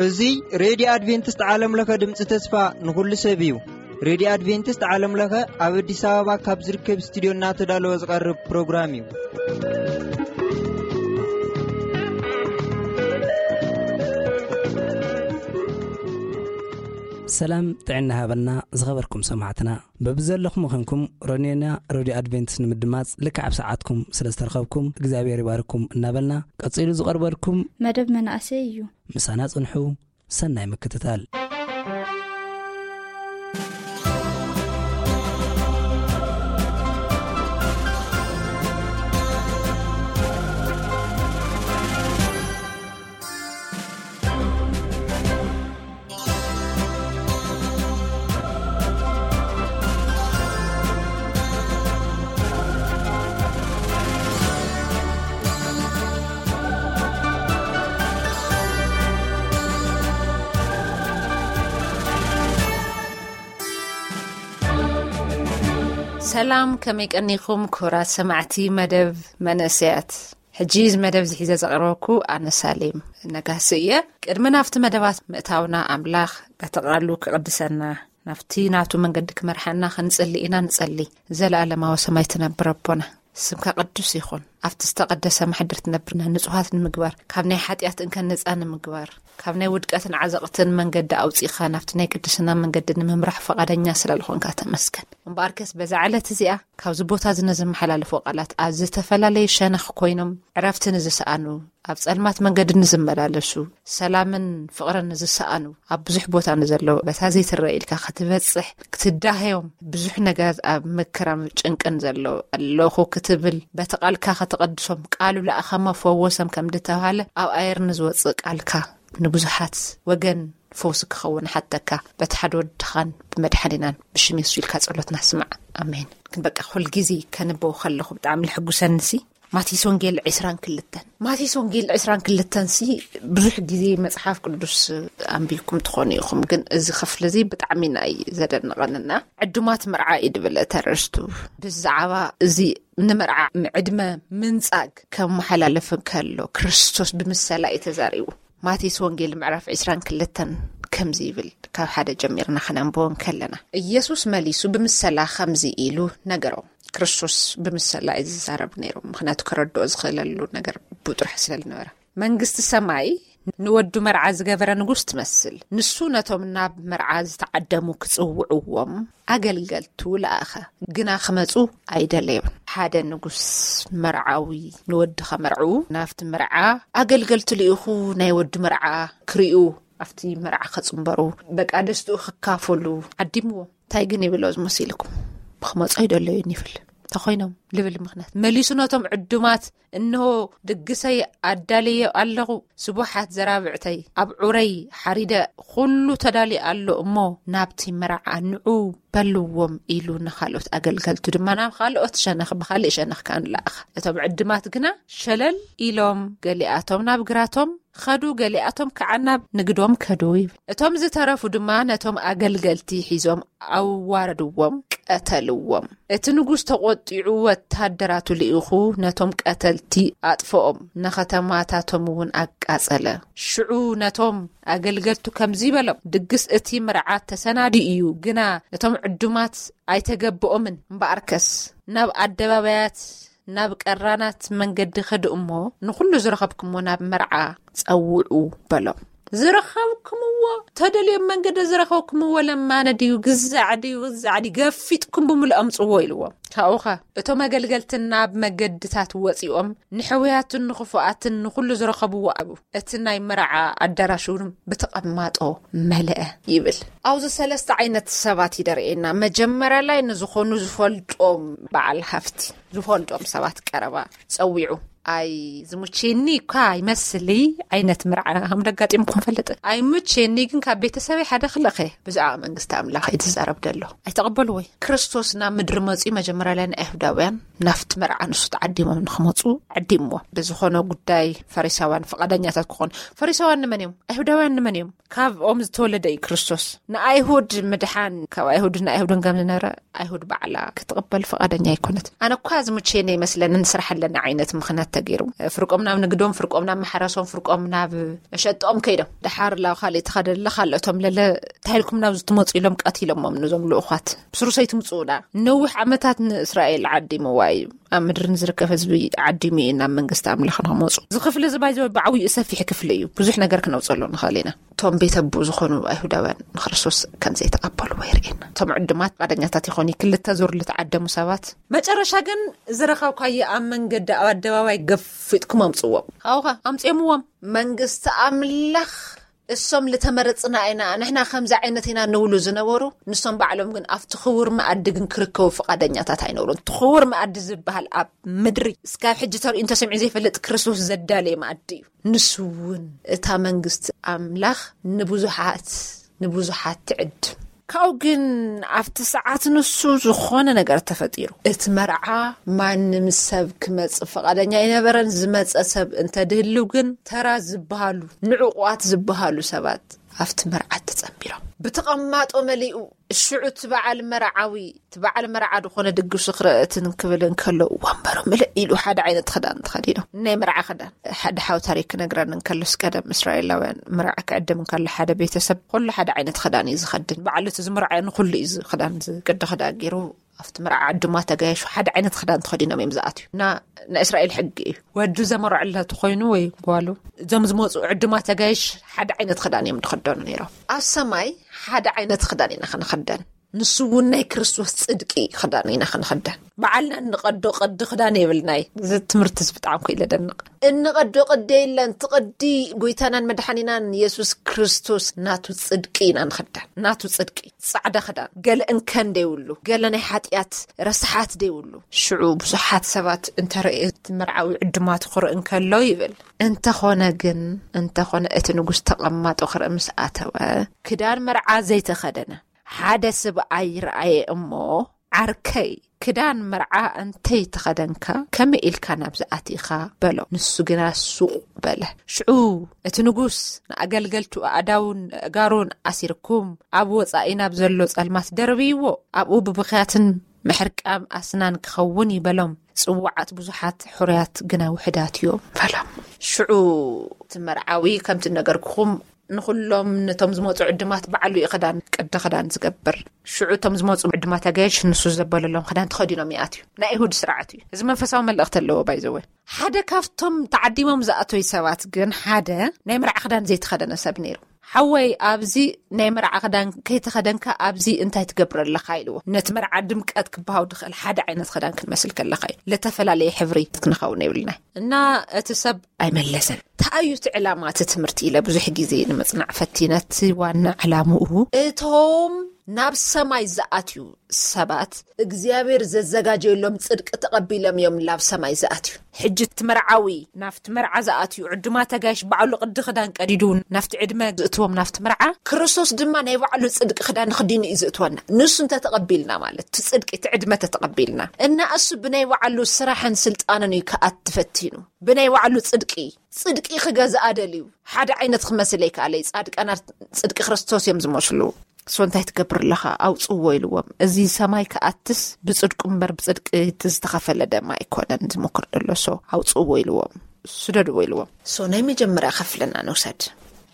እዚ ሬድዮ ኣድቬንቲስት ዓለም ለኸ ድምፂ ተስፋ ንኹሉ ሰብ እዩ። ሬድዮ ኣድቬንቲስት ዓለም ለኸ ኣብ ኣዲስ ኣበባ ካብ ዝርከብ ስቱዲዮ እናተዳለወ ዝቐርብ ፕሮግራም እዩ። ሰላም ጥዕና ሃበልና ዝኸበርኩም ሰማዕትና። በብዘለኹም ኾንኩም ሮኔና ሬድዮ ኣድቬንቲስት ንምድማጽ ልክዕ ኣብ ሰዓትኩም ስለ ዝተረኸብኩም እግዚኣብሔር ይባርኩም እናበልና፣ ቀጺሉ ዝቐርበልኩም መደብ መናእሰይ እዩ። ምሳና ጽንሑ። ሰናይ ምክትታል። ሰላም፣ ከመይ ቀኒኹም ክቡራት ሰማዕቲ መደብ መንእሰያት? ሕጂ እዚ መደብ እዚ ሒዘ ዘቕርበኩ ኣነ ሳሌም ነጋሲ እየ። ቅድሚ ናብቲ መደባት ምእታውና ኣምላኽ በቲ ቃሉ ክቕድሰና፣ ናብቲ ናቱ መንገዲ ክመርሓና ክንጽሊ ኢና። ንጸሊ። ዘለኣለማዊ ሰማይ ትነብር ኣቦና፣ ስምካ ቅዱስ ይኹን። ኣብቲ ዝተቐደሰ ማሕደር ትነብርና ንጹሃት ንምግባር፣ ካብ ናይ ሓጢኣት እንከን ነጻ ንምግባር፣ ካብ ናይ ውድቀትን ዓዘቕትን መንገዲ ኣውጺእኻ ናብቲ ናይ ቅድስና መንገዲ ንምምራሕ ፈቓደኛ ስለ ዝኾንካ ተመስገን። እምበኣርከስ በዛ ዕለት እዚኣ ካብዚ ቦታ እዚ ንዝመሓላለፎ ቃላት ኣብ ዝተፈላለዩ ሸነኽ ኮይኖም ዕረፍቲ ንዝሰኣኑ፣ ኣብ ጸልማት መንገዲ ንዝመላለሱ፣ ሰላምን ፍቕርን ንዝሰኣኑ፣ ኣብ ብዙሕ ቦታ ንዘለዉ፣ በታ ዘይትረአ ኢልካ ክትበጽሕ ክትዳህዮም፣ ብዙሕ ነገራት ኣብ መከራን ጭንቅን ዘለዉ ኣለኹ ክትብል፣ በቲ ቃልካ ከተቐድሶም፣ ቃሉ ለኣኸሞ ፈወሰም ከም ዝተባህለ፣ ኣብ ኣየር ንዝወጽእ ቃልካ ንብዙሓት ወገን ፈውሲ ክኸውን ሓተካ፣ በቲ ሓደ ወድኻን ብመድሓኒናን ብሽም የሱስ ኢልካ ጸሎትና ስማዕ። ኣሜን። ግን በቃ፣ ኩል ግዜ ከንበው ከለኹ ብጣዕሚ ልሕጉሰንሲ፣ ማቴዎስ ወንጌል ዕስራን ክልተን። ማቴዎስ ወንጌል ዕስራን ክልተን ሲ፣ ብዙሕ ግዜ መጽሓፍ ቅዱስ ኣንቢብኩም ትኾኑ ኢኹም፣ ግን እዚ ክፍሊ እዚ ብጣዕሚ ናይ ዘደንቐንና፣ ዕዱማት መርዓ እዩ ድብል እቲ ኣርእስቱ። ብዛዕባ እዚ ንመርዓ ዕድመ ምንጻግ ከመሓላልፍ ከሎ፣ ክርስቶስ ብምሰላ እዩ ተዛሪቡ። ማቴዎስ ወንጌል ምዕራፍ ዕስራን ክልተን ከምዚ ይብል፣ ካብ ሓደ ጀሚርና ከነንብቦ እንከለና፣ ኢየሱስ መሊሱ ብምሰላ ከምዚ ኢሉ ነገሮም። ክርስቶስ ብምሰላ እዩ ዝዛረብ ነይሩ፣ ምኽንያቱ ከረድኦ ዝኽእለሉ ነገር ብጥራሕ ስለ ዝነበረ። መንግስቲ ሰማይ ንወዱ መርዓ ዝገበረ ንጉስ ትመስል። ንሱ ነቶም ናብ መርዓ ዝተዓደሙ ክጽውዕዎም ኣገልገልቱ ለኣኸ፣ ግና ክመጹ ኣይደለዩን። ሓደ ንጉስ መርዓዊ ንወዲ ከመርዕዉ ናብቲ መርዓ ኣገልገልቲ ልኢኹ፣ ናይ ወዲ መርዓ ክርእዩ፣ ኣብቲ መርዓ ከጽንበሩ፣ በቃ ደስትኡ ክካፈሉ ዓዲምዎም። እንታይ ግን ይብሎ ዝመሲልኩም? ብክመጹ ኣይደለዩን ይብል። ተኾይኖም ልብል ምኽንያት መሊሱ ነቶም ዕዱማት፣ እንሆ ድግሰይ ኣዳልየ ኣለኹ፣ ስቡሓት ዘራብዕተይ ኣብ ዑረይ ሓሪደ፣ ኩሉ ተዳልዩ ኣሎ እሞ ናብቲ መርዓ ንዑ በልዎም ኢሉ ንኻልኦት ኣገልገልቱ ድማ ናብ ካልኦት ሸነኽ፣ ብኻልእ ሸነኽ ከኣ ንለኣኸ። እቶም ዕድማት ግና ሸለል ኢሎም፣ ገሊኣቶም ናብ ግራቶም ከዱ፣ ገሊኣቶም ከኣ ናብ ንግዶም ከዱ ይብል። እቶም ዝተረፉ ድማ ነቶም ኣገልገልቲ ሒዞም ኣዋረድዎም፣ ቀተልዎም። እቲ ንጉስ ተቖጢዑ ወታደራቱ ልኢኹ ነቶም ቀተልቲ ኣጥፍኦም፣ ንኸተማታቶም እውን ኣቃጸለ። ሽዑ ነቶም ኣገልገልቱ ከምዚ በሎም፣ ድግስ እቲ መርዓ ተሰናዲኡ እዩ፣ ግና ነቶም ዕዱማት ኣይተገብኦምን። እምበኣርከስ ናብ ኣደባባያት፣ ናብ ቀራናት መንገዲ ኸዱ እሞ፣ ንኹሉ ዝረኸብኩምዎ ናብ መርዓ ጸውዑ በሎም። ዝረኸብኩምዎ፣ ተደልዮም መንገዲ ዝረኸብኩምዎ ለማነ ድዩ፣ ግዛዕ ድዩ፣ ግዛዕ ድዩ፣ ገፊጥኩም ብምልኦም ጽዎ ኢልዎም። ካብኡኸ እቶም ኣገልገልቲ ናብ መገድታት ወጺኦም፣ ንሕውያትን ንኽፉኣትን ንኹሉ ዝረኸብዎ ኣብ እቲ ናይ መርዓ ኣዳራሽ እውን ብተቐማጦ መልአ ይብል። ኣብዚ ሰለስተ ዓይነት ሰባት ይደርእየና። መጀመርያ ላይ ንዝኾኑ ዝፈልጦም በዓል ሃፍቲ፣ ዝፈልጦም ሰባት ቀረባ ጸዊዑ። ኣይ ዝሙቼኒ እኳ ይመስሊ ዓይነት መርዓ ከም ደጋጢምኩም ፈልጥ ኣይሙቼኒ፣ ግን ካብ ቤተሰበይ ሓደ ክልእኸ ብዛዕባ መንግስቲ ኣምላኽ እዩ ዝዛረብ ደሎ። ኣይተቐበልዎ እዩ። ክርስቶስ ናብ ምድሪ መፅኡ መጀመርያ ላይ ንኣይሁዳውያን ናፍቲ መርዓ ንሱ ተዓዲሞም ንክመፁ ዓዲምዎ። ብዝኾነ ጉዳይ ፈሪሳውያን ፍቓደኛታት ክኾኑ፣ ፈሪሳውያን ንመን እዮም? ኣይሁዳውያን ንመን እዮም? ካብኦም ዝተወለደ እዩ ክርስቶስ። ንኣይሁድ ምድሓን ካብ ኣይሁድ ንኣይሁድን ከም ዝነበረ ኣይሁድ ባዕላ ክትቕበል ፍቓደኛ ኣይኮነት። ኣነ እኳ ዝሙቼኒ ይመስለኒ ንስራሕ ኣለና ዓይነት ምኽንያት ተገይሩ። ፍርቆም ናብ ንግዶም፣ ፍርቆም ናብ ማሕረሶም፣ ፍርቆም ናብ መሸጥኦም ከይዶም። ደሓር ላው ካልእ ተኸደለ ካልኦቶም ለለ ታይልኩም ናብ ዝትመፁ ኢሎም ቀቲሎሞም። ንዞም ልኡኳት ብስሩሰይ ትምፅኡና። ነዊሕ ዓመታት ንእስራኤል ዓዲምዋ እዩ። ኣብ ምድሪ ንዝርከብ ህዝቢ ዓዲሙ እዩ ናብ መንግስቲ ኣምላኽ ንክመፁ። እዚ ክፍሊ እዚ ባይዘ ብዓብዩ ሰፊሕ ክፍሊ እዩ። ብዙሕ ነገር ክነውፀሉ ንኽእል ኢና። እቶም ቤተ ኣቦ ዝኾኑ ኣይሁዳውያን ንክርስቶስ ከም ዘይተቐበልዎ የርእየና። እቶም ዕዱማት ፍቓደኛታት ይኾኑ። ክልተ ዙር ልተዓደሙ ሰባት መጨረሻ ግን ዝረኸብኳዮ ኣብ መንገዲ ኣብ ኣደባባይ ገፊጥኩም ኣምፅዎም። ካብኡ ኣምፅዮምዎም። መንግስቲ ኣምላኽ እሶም ልተመረፅና ኢና፣ ንሕና ከምዚ ዓይነት ኢና ንብሉ ዝነበሩ፣ ንሶም ባዕሎም ግን ኣብቲ ክቡር መኣዲ ግን ክርከቡ ፍቓደኛታት ኣይነበሩን። እቲ ክቡር መኣዲ ዝበሃል ኣብ ምድሪ እስካብ ሕጂ ተርእዩ እንተሰሚዑ ዘይፈልጥ ክርስቶስ ዘዳለየ መኣዲ እዩ። ንሱ እውን እታ መንግስቲ ኣምላኽ ንብዙሓት ንብዙሓት ትዕድም። ካብኡ ግን ኣብቲ ሰዓት ንሱ ዝኾነ ነገር ተፈጢሩ። እቲ መርዓ ማንም ሰብ ክመጽእ ፍቓደኛ ኣይነበረን። ዝመጸ ሰብ እንተድህልው ግን ተራ ዝበሃሉ ንዕቑባት ዝበሃሉ ሰባት ኣብቲ መርዓ ተጸንቢሮም። ብተቐማጦ መሊኡ። ሽዑ እቲ በዓል መርዓዊ እቲ በዓል መርዓ ዝኾነ ድግሱ ክረእትን ክብል እንከሎ ወንበሩ ምልእ ኢሉ ሓደ ዓይነት ክዳን ተኸዲኖም። ናይ መርዓ ክዳን። ሓደ ሓው ታሪክ ክነግረን እንከሎስ ቀደም እስራኤላውያን መርዓ ክዕድም እንከሎ ሓደ ቤተሰብ ኩሉ ሓደ ዓይነት ክዳን እዩ ዝኸድን። በዓል እቲ ዝምርዓዮ ንኹሉ እዩ እዚ ክዳን እዚ ቅዲ ክዳን ገይሩ ኣብቲ መርዓ ዕዱማት ተጋየሹ ሓደ ዓይነት ክዳን ተኸዲኖም እዮም ዝኣትዩ። እና ናይ እስራኤል ሕጊ እዩ። ወዱ ዘመርዐለ ተኾይኑ ወይ ጓሉ እዞም ዝመፁ ዕዱማት ተጋየሽ ሓደ ዓይነት ክዳን እዮም ዝኸደኑ ነይሮም። ኣብ ሰማይ ሓደ ዓይነት ክዳን ኢና ክንኸደን። ንሱ እውን ናይ ክርስቶስ ጽድቂ ክዳን ኢና ክንኸደን። በዓልና እንቐዶ ቅዲ ክዳን የብልናይ። እዚ ትምህርቲ እዚ ብጣዕሚ ኮ ኢለ ደንቕ። እንቐዶ ቅዲ የለን። እቲ ቅዲ ጎይታናን መድሓኒናን የሱስ ክርስቶስ ናቱ ጽድቂ ኢና ንኽደን። ናቱ ጽድቂ ጻዕዳ ክዳን፣ ገለ እንከን ደይብሉ፣ ገለ ናይ ሓጢኣት ረስሓት ደይብሉ። ሽዑ ብዙሓት ሰባት እንተረእየ እቲ መርዓዊ ዕዱማቱ ክርኢ እንከሎ ይብል። እንተኾነ ግን፣ እንተኾነ እቲ ንጉስ ተቐማጦ ክርኢ ምስ ኣተወ፣ ክዳን መርዓ ዘይተኸደነ ሓደ ስብኣይ ረኣየ እሞ፣ ዓርከይ፣ ክዳን መርዓ እንተይተኸደንካ ከመይ ኢልካ ናብዚ ኣቲኻ? በሎ። ንሱ ግና ሱቕ በለ። ሽዑ እቲ ንጉስ ንኣገልገልቱ ኣእዳውን ኣእጋሩን ኣሲርኩም ኣብ ወጻኢ ናብ ዘሎ ጸልማት ደርብይዎ፣ ኣብኡ ብብኽያትን ምሕርቃም ኣስናን ክኸውን እዩ በሎም። ጽዋዓት ብዙሓት ሕሩያት ግና ውሕዳት እዮም በሎም። ሽዑ እቲ መርዓዊ ከምቲ ነገርኩኹም ንኹሎም ነቶም ዝመፁ ዕድማት ባዕሉ እዩ ክዳን ቅዲ ክዳን ዝገብር። ሽዑ እቶም ዝመፁ ዕድማት ኣጋይሽ ንሱ ዘበለሎም ክዳን ተኸዲኖም ይኣትዩ። ናይ ይሁድ ስርዓት እዩ እዚ። መንፈሳዊ መልእኽቲ ኣለዎ ባይዘወ። ሓደ ካብቶም ተዓዲሞም ዝኣተዩ ሰባት ግን ሓደ ናይ መርዓ ክዳን ዘይተኸደነ ሰብ ነይሩ። ሓወይ፣ ኣብዚ ናይ መርዓ ክዳን ከይተኸደንካ ኣብዚ እንታይ ትገብር ኣለኻ? ኢልዎ። ነቲ መርዓ ድምቀት ክበሃው ድኽእል ሓደ ዓይነት ክዳን ክንመስል ከለኻ እዩ። ለተፈላለየ ሕብሪ ክንኸውን የብልና። እና እቲ ሰብ ኣይመለሰን። እንታይ እዩ እቲ ዕላማ እቲ ትምህርቲ ኢለ ብዙሕ ግዜ ንምጽናዕ ፈቲነ። እቲ ዋና ዕላምኡ እቶም ናብ ሰማይ ዝኣትዩ ሰባት እግዚኣብሔር ዘዘጋጀየሎም ጽድቂ ተቐቢሎም እዮም ናብ ሰማይ ዝኣትዩ። ሕጂ እቲ መርዓዊ ናብቲ መርዓ ዝኣትዩ ዕዱማት ኣጋይሽ ባዕሉ ቅዲ ክዳን ቀዲዱ ናብቲ ዕድመ ዝእትዎም ናብቲ መርዓ፣ ክርስቶስ ድማ ናይ ባዕሉ ጽድቂ ክዳን ክዲኑ እዩ ዝእትወና። ንሱ እንተተቐቢልና ማለት እቲ ጽድቂ እቲ ዕድመ ተተቐቢልና እና እሱ ብናይ ባዕሉ ስራሕን ስልጣንን እዩ ክኣቲ ፈቲኑ። ብናይ ባዕሉ ጽድቂ ጽድቂ ክገዝኣ ደልዩ ሓደ ዓይነት ክመስል ኣይከኣለይ። ጻድቃናት ጽድቂ ክርስቶስ እዮም ዝመስሉ። እሱ እንታይ ትገብር ኣለኻ? ኣውፅዎ ኢልዎም። እዚ ሰማይ ክኣትስ ብጽድቁ እምበር ብጽድቂ እቲ ዝተኸፈለ ደም ኣይኮነን ዝምክር ደሎ። ሶ ኣውፅዎ ኢልዎም። ስደድዎ ኢልዎም። ሶ ናይ መጀመርያ ክፍልና ንውሰድ።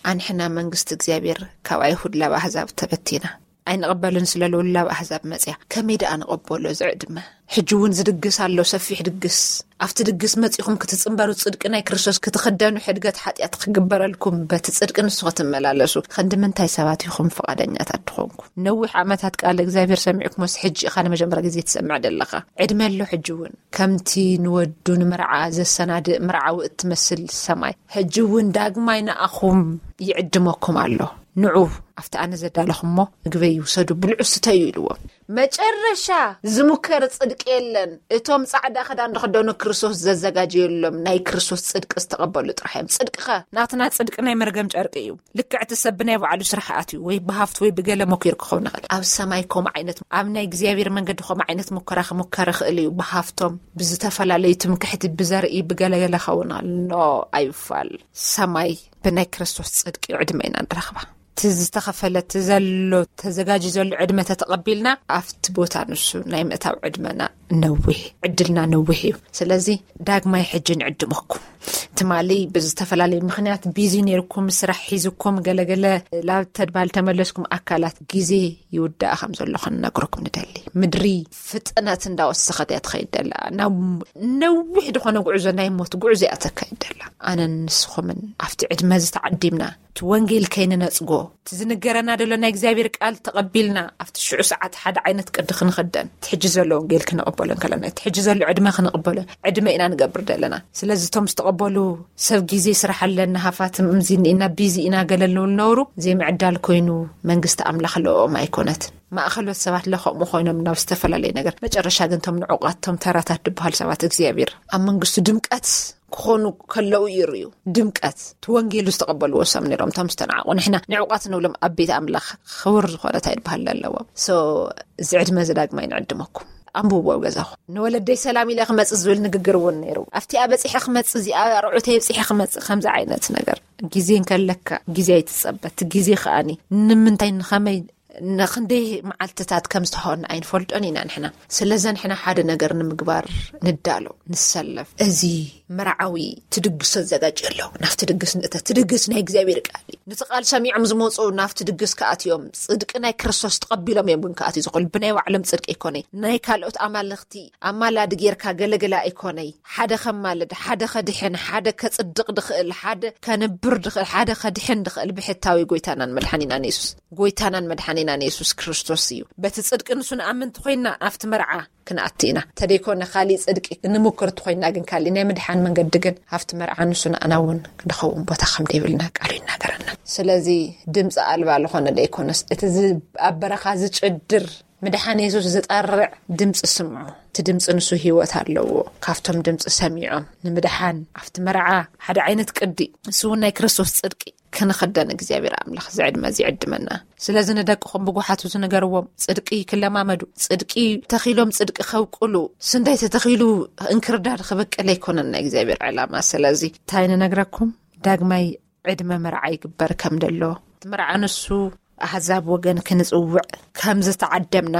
ኣንሕና መንግስቲ እግዚኣብሔር ካብ ኣይሁድ ላብ ኣህዛብ ተበቲና ኣይንቕበልን ስለ ልውላብ ኣህዛብ መጽያ። ከመይ ደኣ ንቐበሎ እዚ ዕድመ? ሕጂ እውን ዝድግስ ኣሎ፣ ሰፊሕ ድግስ። ኣብቲ ድግስ መጺኹም ክትጽንበሩ፣ ጽድቂ ናይ ክርስቶስ ክትኽደኑ፣ ሕድገት ሓጢኣት ክግበረልኩም፣ በቲ ጽድቂ ንሱ ክትመላለሱ። ክንዲ ምንታይ ሰባት ኢኹም ፍቓደኛታት ድኾንኩ? ነዊሕ ዓመታት ቃል እግዚኣብሔር ሰሚዕኩሞስ ሕጂ ኢኻ ንመጀመርያ ግዜ ትሰምዕ ደለኻ። ዕድመ ኣሎ ሕጂ እውን። ከምቲ ንወዱ ንመርዓ ዘሰናድእ መርዓዊ እትመስል ሰማይ፣ ሕጂ እውን ዳግማይ ንኣኹም ይዕድመኩም ኣሎ። ንዑ፣ ኣብቲ ኣነ ዘዳለኹሞ ምግበይ ይውሰዱ፣ ብልዑ፣ ስተዩ ኢልዎም። መጨረሻ ዝሙከር ጽድቂ የለን። እቶም ጻዕዳ ክዳን ዝኽደኑ ክርስቶስ ዘዘጋጀየሎም ናይ ክርስቶስ ጽድቂ ዝተቐበሉ ጥራሕ እዮም። ጽድቅኸ? ናትና ጽድቂ ናይ መርገም ጨርቂ እዩ። ልክዕ እቲ ሰብ ብናይ ባዕሉ ስራሕ ኣትዩ ወይ ብሃፍቲ ወይ ብገለ መኪሩ ክኸውን ይኽእል። ኣብ ሰማይ ከምኡ ዓይነት፣ ኣብ ናይ እግዚኣብሔር መንገዲ ከምኡ ዓይነት ሙከራ ክሙከር ይኽእል እዩ። ብሃፍቶም፣ ብዝተፈላለዩ ትምክሕቲ፣ ብዘርኢ፣ ብገለገለ ክኸውን ይኽእል። ኖ፣ ኣይፋል። ሰማይ ብናይ ክርስቶስ ጽድቂ ዕድመ ኢና ንረኽባ። እቲ ዝተኸፈለ፣ እቲ ዘሎ፣ ተዘጋጅዩ ዘሎ ዕድመ ተተቐቢልና፣ ኣብቲ ቦታ ንሱ ናይ ምእታው ዕድመና ነዊሕ፣ ዕድልና ነዊሕ እዩ። ስለዚ ዳግማይ ሕጂ ንዕድመኩም። ትማሊ ብዝተፈላለየ ምኽንያት ቢዚ ነይርኩም፣ ስራሕ ሒዝኩም፣ ገለገለ ላብ ተድባል ተመለስኩም፣ ኣካላት ግዜ ይውዳእ ከም ዘሎ ክንነግረኩም ንደሊ። ምድሪ ፍጥነት እንዳወሰኸት እያ ትኸይድ ደላ። ናብ ነዊሕ ዝኾነ ጉዕዞ፣ ናይ ሞት ጉዕዞ እያ ተካይድ ደላ። ኣነን ንስኹምን ኣብቲ ዕድመ እዚ ተዓዲምና፣ እቲ ወንጌል ከይንነጽጎ፣ እቲ ዝንገረና ደሎ ናይ እግዚኣብሔር ቃል ተቐቢልና፣ ኣብቲ ሽዑ ሰዓት ሓደ ዓይነት ቅዲ ክንኽደን፣ እቲ ሕጂ ዘሎ ወንጌል ክንቕበሎ እንከለና፣ እቲ ሕጂ ዘሎ ዕድመ ክንቕበሎ ዕድመ ኢና ንገብር ደለና። ስለዚ እቶም ዝተቐበሉ ሰብ ግዜ ስራሕ ኣለና፣ ሃፋትም እምዚኒ ኢና፣ ቢዚ ኢና፣ ገለ ንብል ነውሩ፣ ዘይምዕዳል ኮይኑ መንግስቲ ኣምላኽ ለኦም ኣይኮነትን። ማእኸሎት ሰባት ለኸምኡ ኮይኖም ናብ ዝተፈላለየ ነገር፣ መጨረሻ ግን እቶም ንዑቓት፣ እቶም ተራታት ዝበሃል ሰባት እግዚኣብሔር ኣብ መንግስቱ ድምቀት ክኾኑ ከለዉ ይርእዩ። ድምቀት እቲ ወንጌሉ ዝተቐበልዎ ሰብ ነይሮም፣ እቶም ዝተናዕቑ። ንሕና ንዕቋት ንብሎም ኣብ ቤት ኣምላኽ ክቡር ዝኾነ እንታይ ዝበሃል ኣለዎም። ሶ፣ እዚ ዕድመ እዚ ዳግማይ ንዕድመኩም። ኣንብብዎ ኣብ ገዛኹም። ንወለደይ ሰላም ኢለ ክመጽእ ዝብል ንግግር እውን ነይሩ። ኣብቲኣ በጺሐ ክመጽእ፣ እዚኣ ርዑተይ በጺሐ ክመጽእ፣ ከምዚ ዓይነት ነገር። ግዜ እንከለካ ግዜ ኣይትጸበ። እቲ ግዜ ከኣኒ ንምንታይ፣ ንኸመይ፣ ንኽንደይ መዓልትታት ከም ዝተሃወና ኣይንፈልጦን ኢና ንሕና። ስለዚ ንሕና ሓደ ነገር ንምግባር ንዳሎ፣ ንሰለፍ። እዚ መርዓዊ ትድግስ ተዘጋጅ ኣሎ። ናብቲ ድግስ ንእተ። ትድግስ ናይ እግዚኣብሔር ቃል እዩ። ነቲ ቃል ሰሚዖም ዝመፁ ናብቲ ድግስ ክኣትዮም፣ ጽድቂ ናይ ክርስቶስ ተቐቢሎም እዮም ግን ክኣትዩ ዝኽእሉ። ብናይ ባዕሎም ጽድቂ ኣይኮነይ፣ ናይ ካልኦት ኣማልኽቲ ኣማላዲ ጌርካ ገለገለ ኣይኮነይ። ሓደ ከማልድ፣ ሓደ ከድሕን፣ ሓደ ከጽድቕ ድኽእል፣ ሓደ ከንብር ድኽእል፣ ሓደ ከድሕን ድኽእል ብሕታዊ ጎይታናን መድሓኒናን የሱስ፣ ጎይታናን መድሓኒናን የሱስ ክርስቶስ እዩ። በቲ ጽድቂ ንሱ ንኣምን እንተኾይንና፣ ኣብቲ መርዓ ክንኣቲ ኢና። ተደይኮነ ካሊእ ጽድቂ እንምክር እንተኾይንና ግን፣ ካሊእ ናይ ምድሓን መንገዲ ግን፣ ኣብቲ መርዓ ንሱ ንኣና እውን ክንኸውን ቦታ ከም ደይብልና ቃሉ ይናገረና። ስለዚ ድምፂ ኣልባ ዝኾነ ደይኮነስ፣ እቲ ዝ-፣ ኣብ በረኻ ዝጭድር ምድሓን የሱስ ዝጠርዕ ድምፂ ስምዑ። እቲ ድምፂ ንሱ ህይወት ኣለዎ። ካብቶም ድምፂ ሰሚዖም ንምድሓን ኣብቲ መርዓ ሓደ ዓይነት ቅዲ፣ ንሱ እውን ናይ ክርስቶስ ጽድቂ ክንኽደን እግዚኣብሔር ኣምላኽ ዝዕድመ ዝዕድመና። ስለዚ ንደቅኹም ብጓሓቱ ዝንገርዎም፣ ጽድቂ ክለማመዱ፣ ጽድቂ ተኺሎም ጽድቂ ከብቅሉ። ስንዳይ ተተኺሉ እንክርዳድ ክበቅል ኣይኮነን ናይ እግዚኣብሔር ዕላማ። ስለዚ እንታይ ንነግረኩም? ዳግማይ ዕድመ መርዓ ይግበር ከም ደሎ፣ መርዓ ንሱ ኣህዛብ ወገን ክንጽውዕ ከም ዝተዓደምና፣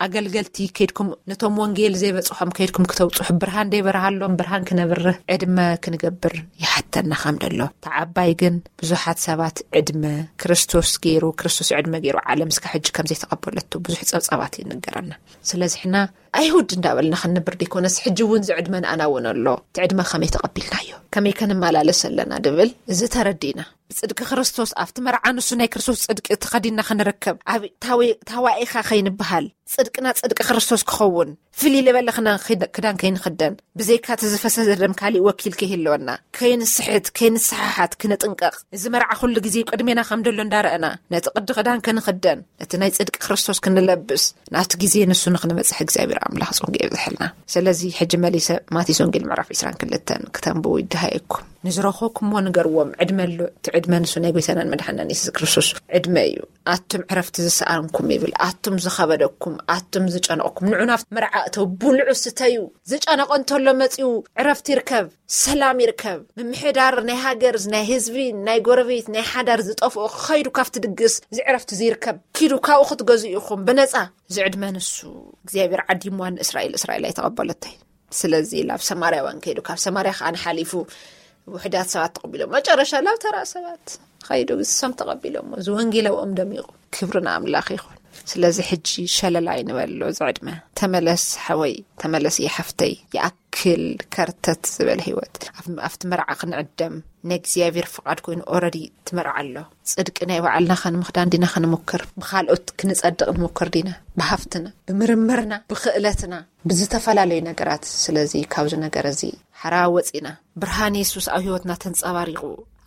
ኣገልገልቲ ከይድኩም ነቶም ወንጌል ዘይበጽሖም ከይድኩም ክተውጽሑ፣ ብርሃን ደይበርሃሎም ብርሃን ክነብርህ ዕድመ ክንገብር ይሓተና ከም ደሎ። ተዓባይ ግን ብዙሓት ሰባት ዕድመ ክርስቶስ ገይሩ፣ ክርስቶስ ዕድመ ገይሩ ዓለም እስካ ሕጂ ከም ዘይተቐበለቶ ብዙሕ ጸብጻባት ይንገረና። ስለዚ ሕና ኣይሁድ እንዳበልና ክንንብር ደይኮነስ፣ ሕጂ እውን ዝዕድመ ንኣና እውን ኣሎ። እቲ ዕድመ ከመይ ተቐቢልናዮ? ከመይ ከንመላለስ ኣለና ድብል እዚ ተረዲና። ብጽድቂ ክርስቶስ ኣብቲ መርዓ ንሱ ናይ ክርስቶስ ጽድቂ ተኸዲንና ክንርከብ፣ ኣብ ታዊ-፣ ታዋኢኻ ከይንበሃል፣ ጽድቅና ጽድቂ ክርስቶስ ክኸውን፣ ፍልይ ዝበለ ክና-፣ ክዳ-፣ ክዳን ከይንኽደን፣ ብዘይካ እቲ ዝፈሰሰ ደም ካሊእ ወኪል ከይህልወና፣ ከይንስሕት፣ ከይንሰሓሓት ክንጥንቀቕ። እዚ መርዓ ኩሉ ግዜ ቅድሜና ከም ደሎ እንዳረኣና፣ ነቲ ቅዲ ክዳን ክንኽደን፣ ነቲ ናይ ጽድቂ ክርስቶስ ክንለብስ፣ ናብቲ ግዜ ንሱ ንክንበጽሕ እግዚኣብሔር ኣምላኽ ጽንጉ የብዝሐልና። ስለዚ ሕጂ መሊሰ ማቴዎስ ወንጌል ምዕራፍ ዕስራን ክልተን ክተንብቡ ይደሃየኩም። ንዝረኸብኩምዎ ንገርዎም፣ ዕድመ ኣሎ። እቲ ዕድመ ንሱ ናይ ጎይታናን መድሓናን የሱስ ክርስቶስ ዕድመ እዩ። ኣቱም ዕረፍቲ ዝሰኣንኩም ይብል፣ ኣቱም ዝኸበደኩም፣ ኣቱም ዝጨነቕኩም፣ ንዑ ናብቲ መርዓ እተው፣ ብልዑ ስተዩ። ዝጨነቖ እንተሎ መጺኡ ዕረፍቲ ይርከብ፣ ሰላም ይርከብ። ምምሕዳር ናይ ሃገር፣ ናይ ህዝቢ፣ ናይ ጎረቤት፣ ናይ ሓዳር ዝጠፍኦ ከይዱ ካብቲ ድግስ እዚ ዕረፍቲ እዚ ይርከብ። ኪዱ ካብኡ ክትገዝኡ ኢኹም ብነጻ። እዚ ዕድመ ንሱ እግዚኣብሔር ዓዲምዋ ንእስራኤል፣ እስራኤል ኣይተቐበለቶይ። ስለዚ ላብ ሰማርያውያን ከይዱ፣ ካብ ሰማርያ ከኣ ንሓሊፉ ውሕዳት ሰባት ተቐቢሎም፣ መጨረሻ ላብ ተራ ሰባት ኸይዱ፣ ንሶም ተቐቢሎሞ፣ እዚ ወንጌል ኣብኦም ደሚቑ። ክብሪ ንኣምላኽ ይኹን። ስለዚ ሕጂ ሸለላ ኣይንበሎ፣ እዚ ዕድመ ተመለስ ሓወይ፣ ተመለስ ሓፍተይ። ይኣክል ከርተት ዝበለ ህይወት። ኣብቲ መርዓ ክንዕደም ናይ እግዚኣብሔር ፍቓድ ኮይኑ ኦረዲ ትመርዓ ኣሎ። ጽድቂ ናይ ባዕልና ከንምኽዳን ዲና ክንምክር? ብኻልኦት ክንጸድቕ ንሙክር ዲና? ብሃፍትና፣ ብምርምርና፣ ብክእለትና፣ ብዝተፈላለዩ ነገራት። ስለዚ ካብዚ ነገር እዚ ሓራ ወፂና፣ ብርሃን የሱስ ኣብ ህይወትና ተንጸባሪቑ፣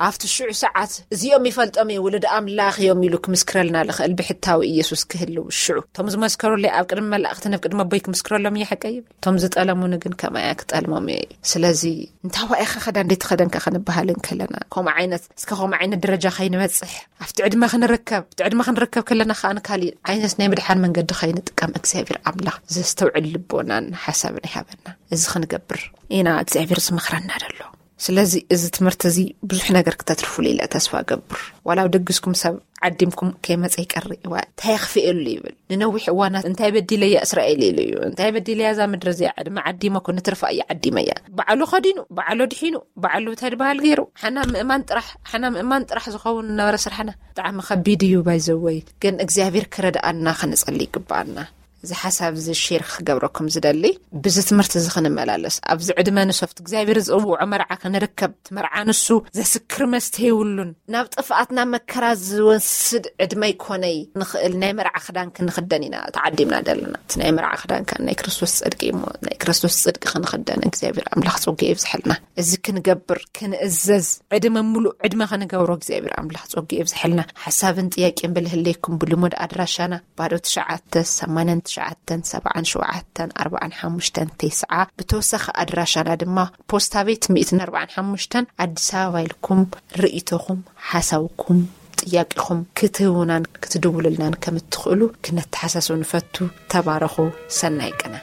ኣብቲ ሽዑ ሰዓት እዚኦም ይፈልጦም እየ፣ ውሉድ ኣምላኽ እዮም ኢሉ ክምስክረልና ልኽእል ብሕታዊ ኢየሱስ ክህልው ሽዑ። እቶም ዝመስከሩለይ ኣብ ቅድሚ መላእኽትን ኣብ ቅድሚ ኣቦይ ክምስክረሎም እየ፣ ሓቀይ ይብል። እቶም ዝጠለሙኒ ግን ከማያ ክጠልሞም እየ። ስለዚ እንታይ ዋኢኻ ኸዳ እንዴት ኸደንካ ክንበሃል እንከለና፣ ከምኡ ዓይነት፣ እስከ ከምኡ ዓይነት ደረጃ ከይንበጽሕ፣ ኣብቲ ዕድመ ክንርከብ፣ ኣብቲ ዕድመ ክንርከብ ከለና ከኣ ንካሊእ ዓይነት ናይ ምድሓን መንገዲ ከይንጥቀም እግዚኣብሔር ኣምላኽ ዘስተውዕል ልቦናን ሓሳብን ይሃበና። እዚ ክንገብር ኢና እግዚኣብሔር ዝመኽረና ደሎ። ስለዚ እዚ ትምህርቲ እዚ ብዙሕ ነገር ክተትርፉሉ ኢለ ተስፋ እገብር። ዋላ ኣብ ደግስኩም ሰብ ዓዲምኩም ከይመጸ ይቀሪ፣ እዋ እንታይ የኽፍኤሉ ይብል። ንነዊሕ እዋናት እንታይ በዲለያ እስራኤል ኢሉ እዩ። እንታይ በዲለያ እዛ ምድሪ እዚኣ? ዕድመ ዓዲመ እኮ ንትርፋ እየ ዓዲመያ። ባዕሉ ኸዲኑ፣ ባዕሉ ድሒኑ፣ ባዕሉ እንታይ ድበሃል ገይሩ። ሓና ምእማን ጥራሕ፣ ሓና ምእማን ጥራሕ ዝኸውን ነበረ ስራሕና። ብጣዕሚ ከቢድ እዩ ባይዘወይ። ግን እግዚኣብሔር ክረድኣና ክንጸሊ ይግብኣና። እዚ ሓሳብ እዚ ሼር ክገብረኩም ዝደሊ፣ ብዚ ትምህርቲ እዚ ክንመላለስ፣ ኣብዚ ዕድመ ንሶፍት እግዚኣብሔር ዝጽውዖ መርዓ ክንርከብ፣ እቲ መርዓ ንሱ ዘስክር መስተ የብሉን። ናብ ጥፍኣት ናብ መከራ ዝወስድ ዕድመ ይኮነይ። ንኽእል ናይ መርዓ ክዳን ክንኽደን ኢና ተዓዲምና ዘለና። እቲ ናይ መርዓ ክዳን ከኣ ናይ ክርስቶስ ጽድቂ እሞ፣ ናይ ክርስቶስ ጽድቂ ክንኽደን እግዚኣብሔር ኣምላኽ ጸጋ የብዝሐልና። እዚ ክንገብር፣ ክንእዘዝ፣ ዕድመ ምሉእ ዕድመ ክንገብሮ እግዚኣብሔር ኣምላኽ ጸጋ የብዝሐልና። ሓሳብን ጥያቄን ብልህለይኩም ብልሙድ ኣድራሻና ባዶ ትሽዓተ፣ ሰማንያን ትሽዓተን፣ ሰብዓን ሸውዓተን፣ ኣርባዓን ሓሙሽተን፣ ተስዓ። ብተወሳኺ ኣድራሻና ድማ ፖስታ ቤት ሚእትን ኣርባዓን ሓሙሽተን ኣዲስ ኣበባ ኢልኩም ርእይቶኹም፣ ሓሳብኩም፣ ጥያቄኹም ክትህቡናን ክትድውሉልናን ከም እትኽእሉ ክነተሓሳስብ ንፈቱ። ተባረኹ። ሰናይ ቅነ።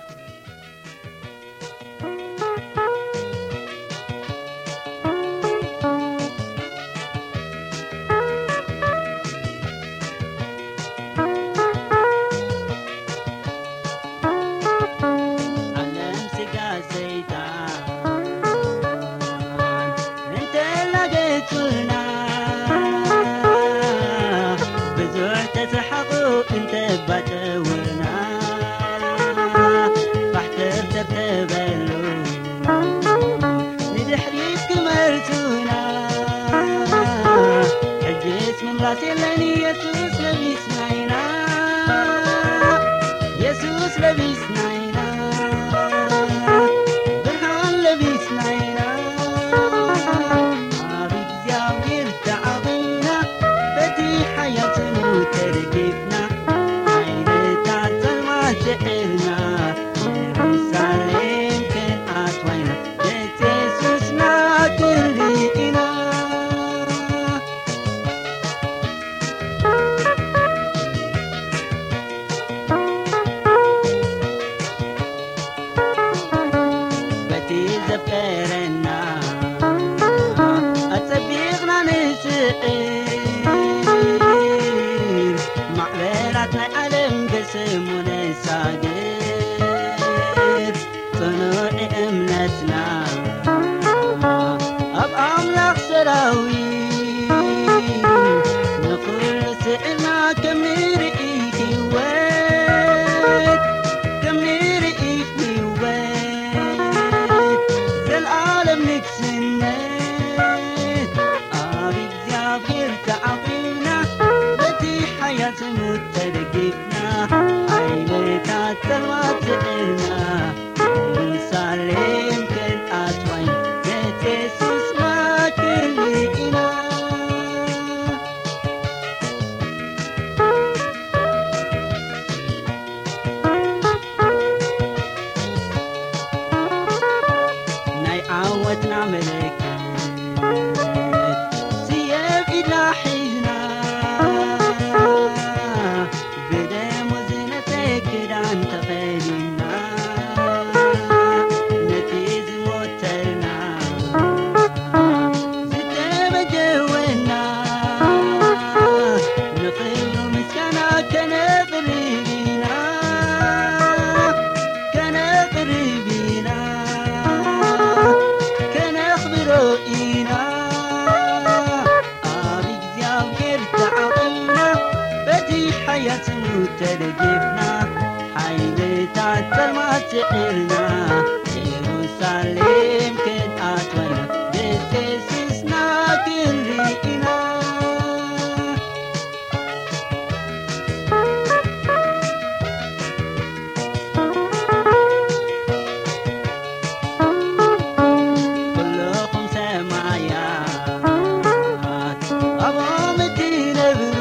ዓለም ስጋ ሰይጣን እንተላገጹና፣ ብዙሕ ተሰሓቑ እንተባጨውና፣ ባሕተር ተርተበሉ ንድሕሪት ክመልሱና። ሕጅስ ምምላስ የለን፣ የሱስ ለቢስና ኢና፣ የሱስ ለቢስና ኢና፣ ብርሃን ለቢስና ኢና። ኣብ እግዚኣብሔር ተዓቒብና፣ በቲ ሓያል ስሙ ተደጊፍና፣ ሓይልታት ጸልማት ስዒርና፣ የሩሳሌም ክንኣትዋ ኢና፣ ቤት የሱስና ክንርኢ ኢና። በቲ ዘፍቀረና ኣጸቢቕና ንስዕር፣ ማዕበላት ናይ ዓለም ብስሙ ነሳግር። ጽኑዕ እምነትና ኣብ ኣምላኽ ሰራዊት፣ ንኹሉ ስዕርና ከም ንርኢ ህይወት፣ ከም ንርኢ ህይወት፣ ዘልኣለም ንግስነት። ኣብ እግዚኣብሔር ተዓቒብና፣ በቲ ሓያል ስሙ ተደጊፍና፣ ሓይልታት ጸልማት ስዒርና፣ የሩሳሌም ክንኣትዋ ኢና፣ ቤት የሱስና ክንርኢ ኢና። ናይ ዓወትና ምልክት ስየብ ኢድና ሒዝና፣ ብደሙ ዝነጸ ክዳን ተኸዲንና፣ ነቲ ዝሞተልና ዝተበጀወና፣ ንኽብሩ ምስጋና ከነቕርብ ኢና፣ ከነቕርብ ኢና፣ ከነኽብሮ ኢና። ኣብ እግዚኣብሔር ተዓቒብና፣ በቲ ሓያል ስሙ ተደጊፍና፣ ሓይልታት ስዒርና ኢየሩሳሌም ክንኣትወና ደሴስስና ክንርኢና። ኩልኹም ሰማያት ኣብኦም እትነብሩ፣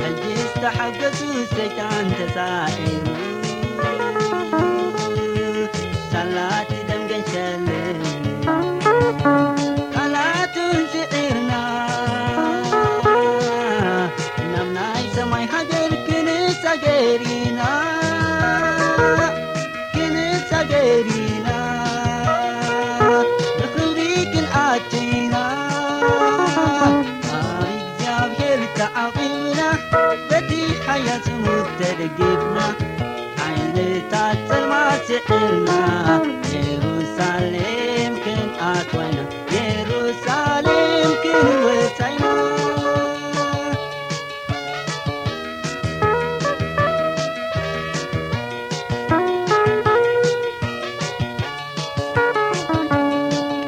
ሕጂ ዝተሓገሱ ሰይጣን ተሳዒሩ፣ ሳላቲ ደም ገንሸልን ቃላቱን ስዒርና፣ ናብ ናይ ሰማይ ሃገር ክንሳገር ኢና። ክንሳገር ኢና፣ ብኽብሪ ክንኣቱ ኢና። ኣብ እግዚኣብሔር ተዓቒብና፣ በቲ ሓያል ስሙ ተደጊፍና፣ ሓይልታት ጸልማት ስዒርና፣ የሩሳሌም ክንኣትዋ ኢና፣ የሩሳሌም ክንወጻ ኢና።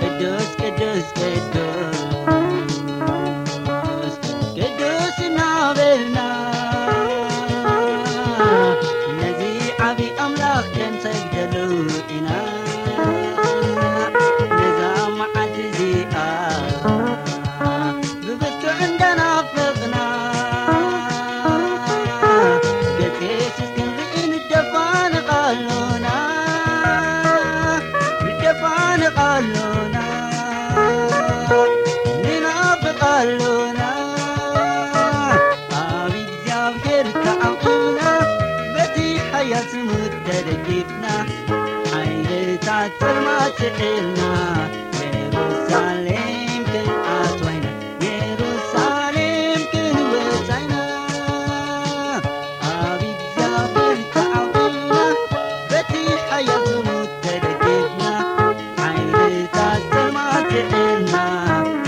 ቅዱስ፣ ቅዱስ፣ ቅዱስ፣ ቅዱስ እናበልና ነዚ ዓቢ ኣምላኽ ክንሰግደሉ ኢና። ነዛ መዓልቲ እዚኣ ብብርቱዕ እንዳናፈቕና፣ ገጽ የሱስ ክንርኢ ንደፋነቕ ኣሎና፣ ንደፋነቕ ኣሎና፣ ንናፍቕ ኣሎና። ኣብ እግዚኣብሔር ተዓቒብና፣ በቲ ሓያል ስሙ ተደጊፍና፣ ሓይልታት ጸልማት ስዒርና፣ የሩሳሌም ክንኣትዋ ኢና፣ የሩሳሌም ክንወጻ ኢና። ኣብ እግዚኣብሔር ተዓቒብና፣ በቲ ሓያል ስሙ ተደጊፍና፣ ሓይልታት ጸልማት ስዒርና፣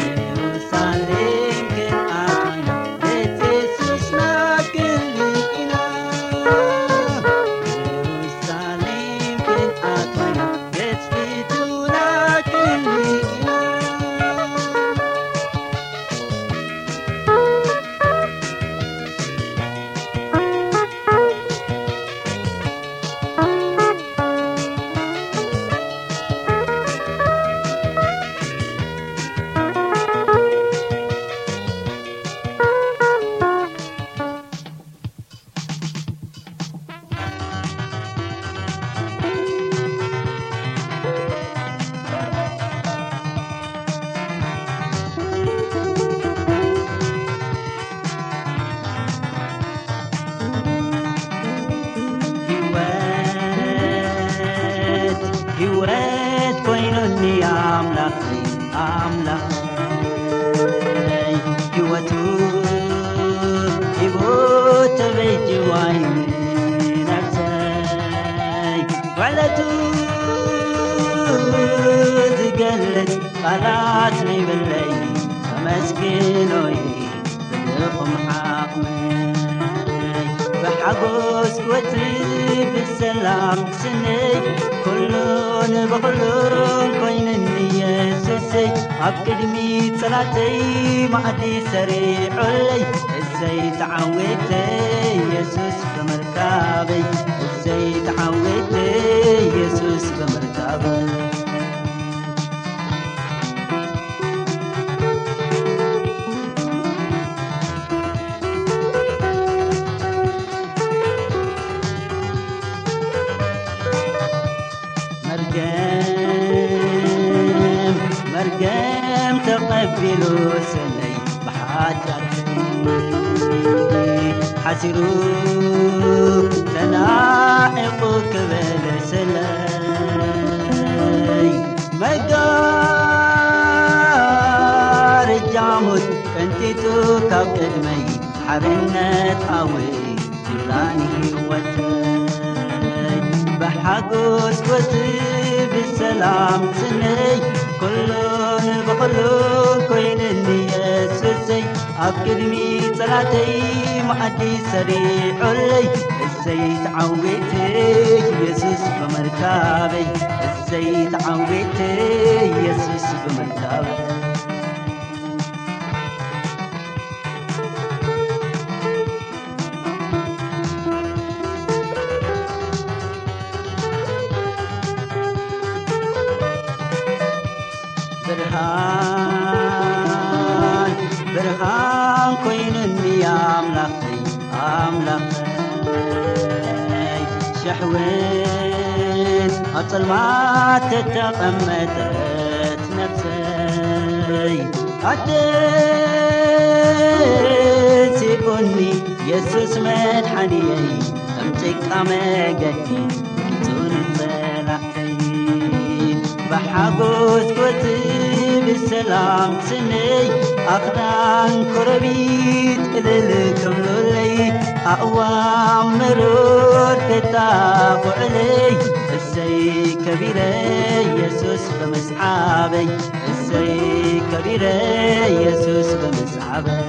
የሩሳሌም ክንኣትዋ ኢና፣ ቤት የሱስና ክንርኢ ኢና። የሩሳሌም ክንኣትዋ ኢና፣ ቤት ፊቱና ክንርኢ ኢና። ህይወት፣ ህይወት ኮይኑኒ ኣምላኽ፣ ኣምላኽ ህይወቱ ሂቡ ተበጅዋይ ነብሰይ። ውዕለቱ ዝገልጽ ቃላት ነይብለይ፣ ከመስግኖይ ብልኹም ዓቕመይ። ብሓጎስ ክወጽእ ብሰላም ክስነይ፣ ኩሉን ብኹሉን ኮይነኒ የሱሰይ። ኣብ ቅድሚ ጸላተይ መኣዲ ሰሪዑለይ፣ እሰይ ተዓዊተ የሱስ ብምርካበይ፣ እሰይ ተዓዊተ የሱስ ብምርካበይ። መርገም፣ መርገም ተቐቢሉ ስለይ ብሓጢኣተይ ሓሲሩ ተናዒቑ ክበለ ስለይ መጋረጃ ሞት ቀንጢጡ ካብ ቅድመይ ሓርነት ኣወይ ጅብራን ህይወተይ ብሓጎስ ወጽእ ብሰላም ጽነይ ኩሉን ብኹሉን ኮይነኒ የሱሰይ ኣብ ቅድሚ ጸላተይ መኣዲ ሰሪዑለይ ዘይተዓዊተ ኢየሱስ ብምርካበይ፣ ዘይተዓዊተ ኢየሱስ ብምርካበይ። ብርሃን ብርሃን ኮይኑኒ ኣምላኸይ ኣምላኸይ፣ ሸሕውን ኣብ ጸልማት ተተቐመጠት ነፍሰይ፣ ኣደንሲኡኒ የሱስ መድሓኒየይ፣ ከም ጭቃ መገዲ ኪጹኒ ጸላእተይ። ብሓጎስ ክወጽእ ብሰላም ክስነይ፣ ኣኽራን ኮረቢት እልል ክብሉለይ፣ ኣእዋም መሮር ከጣቕዑለይ፣ እሰይ ከቢረ የሱስ ብምስዓበይ፣ እሰይ ከቢረ የሱስ ብምስዓበይ።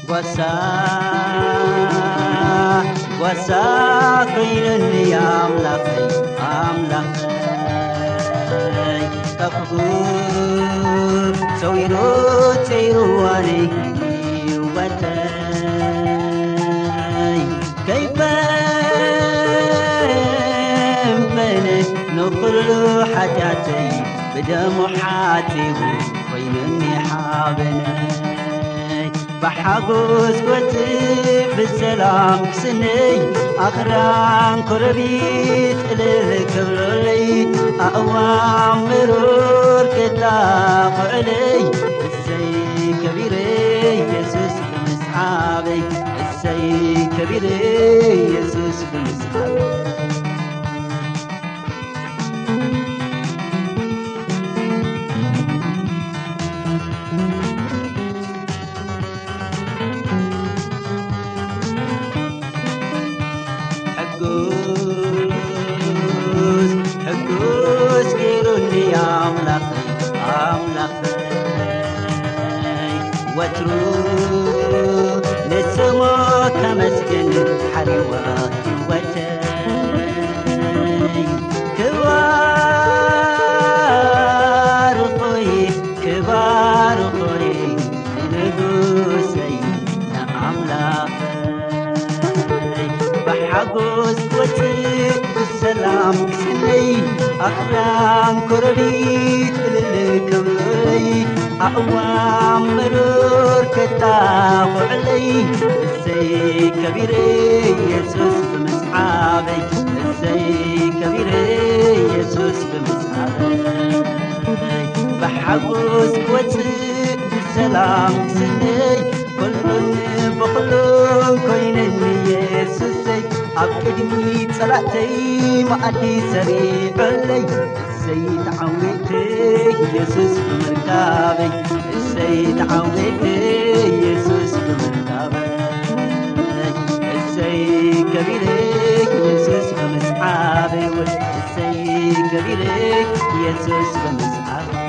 ጓሳ ጓሳ ኮይኑኒ ኣምላኸይ ኣምላኸይ፣ ካብ ክፉእ ሰዊሩ ጸይሩዋኒ ህይወተይ። ከይፈንፈነ ንኹሉ ሓጢኣተይ ብደሙ ሓጺቡ ኮይኑኒ ሓበነይ። ብሓጎስ ክወጽእ ብሰላም ክስነይ፣ ኣኽራን ኮረቢት እልል ክብሉለይ፣ ኣእዋም ምሩር ክጣቕዑለይ። እሰይ ከቢረ የሱስ ብምስዓበይ፣ እሰይ ከቢረ የሱስ ብምስዓበይ። ሕጉስ ሕጉስ ገይሩኒ ኣምላኸይ ኣምላኸይ፣ ወትሩ ንስሙ ከመስግን ሓሪዋ ህይወተይ። ክባርኾይ ክባርኾይ ንንጉሰይ ንኣምላኸይ፣ ብሓጎስ ክወጽእ ብሰላም ክስነይ፣ ኣኽራን ኮረቢት እልል ክብሉለይ፣ ኣእዋም ምሩር ከጣቕዑለይ። እሰይ ከቢረ የሱስ ብምስዓበይ፣ እሰይ ከቢረ የሱስ ብምስዓበይ፣ ብሓጎስ ክወጽእ ብሰላም ክስነይ፣ ኩሉን ብኹሉን ኮይነኒ የሱሰይ፣ ኣብ ቅድሚ ጸላእተይ መኣዲ ሰሪዑለይ። እሰይ ተዓዊተ የሱስ ብምርካበይ፣ እሰይ ተዓዊተ የሱስ ብምርካበይ፣ እሰይ ከቢረ የሱስ ብምስዓበይ፣ እሰይ ከቢረ የሱስ ብምስዓበይ።